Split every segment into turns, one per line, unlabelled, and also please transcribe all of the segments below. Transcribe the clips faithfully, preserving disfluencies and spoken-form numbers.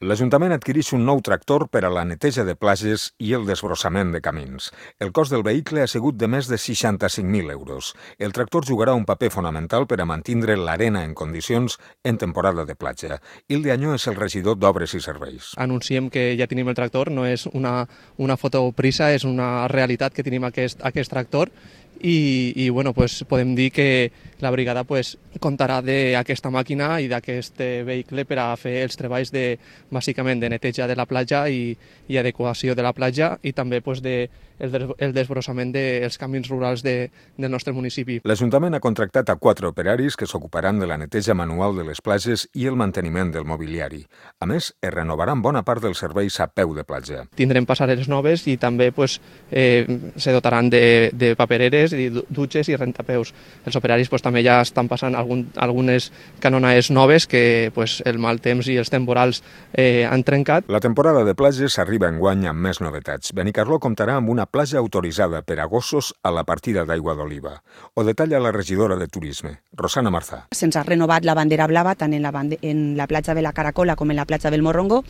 L'Ajuntament adquireix un nou tractor per a la neteja de platges i el desbrossament de camins. El cost del vehicle ha sigut de més de seixanta-cinc mil euros. El tractor jugarà un paper fonamental per a mantenir l'arena en condicions en temporada de platja. Hilde Añó és el regidor d'Obres i Serveis.
Anunciem que ja tenim el tractor, no és una, una fotoprisa, és una realitat que tenim aquest, aquest tractor i, i bueno, pues podem dir que la brigada pues, comptarà d'aquesta màquina i d'aquest vehicle per a fer els treballs de, bàsicament de neteja de la platja i, i adequació de la platja i també pues, de, el, el desbrossament dels camins rurals de, del nostre municipi.
L'Ajuntament ha contractat a quatre operaris que s'ocuparan de la neteja manual de les platges i el manteniment del mobiliari. A més, es renovaran bona part dels serveis a peu de platja.
Tindrem passareres noves i també pues, eh, se dotaran de, de papereres, i dutxes i rentapeus. Els operaris pues, també ja estan passant algun, algunes canonaes noves que pues, el mal temps i els temporals eh, han trencat.
La temporada de platges arriba enguany amb més novetats. Benicarló comptarà amb una platja autoritzada per a gossos a la partida d'aigua d'oliva. Ho detalla la regidora de Turisme, Rosana Marzà.
Se'ns ha renovat la bandera blava tant en la, bande en la platja de la Caracola com en la platja del Morrongo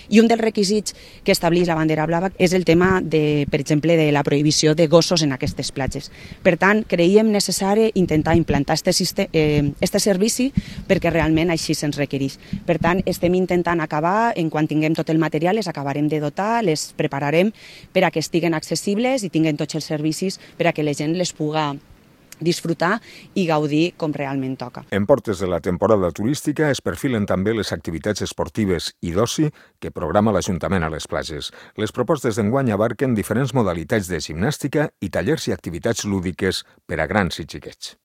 i un dels requisits que estableix la bandera blava és el tema, de, per exemple, de la prohibició de gossos en aquestes platges. Per tant, creiem necessari intentar implantar este, eh, este servici perquè realment així se'ns requereix. Per tant, estem intentant acabar, en quan tinguem tot el material, les acabarem de dotar, les prepararem per a que estiguen accessibles i tinguin tots els servicis per a que la gent les puga disfrutar i gaudir com realment toca.
En portes de la temporada turística es perfilen també les activitats esportives i d'oci que programa l'Ajuntament a les platges. Les propostes d'enguany abarquen diferents modalitats de gimnàstica i tallers i activitats lúdiques per a grans i xiquets.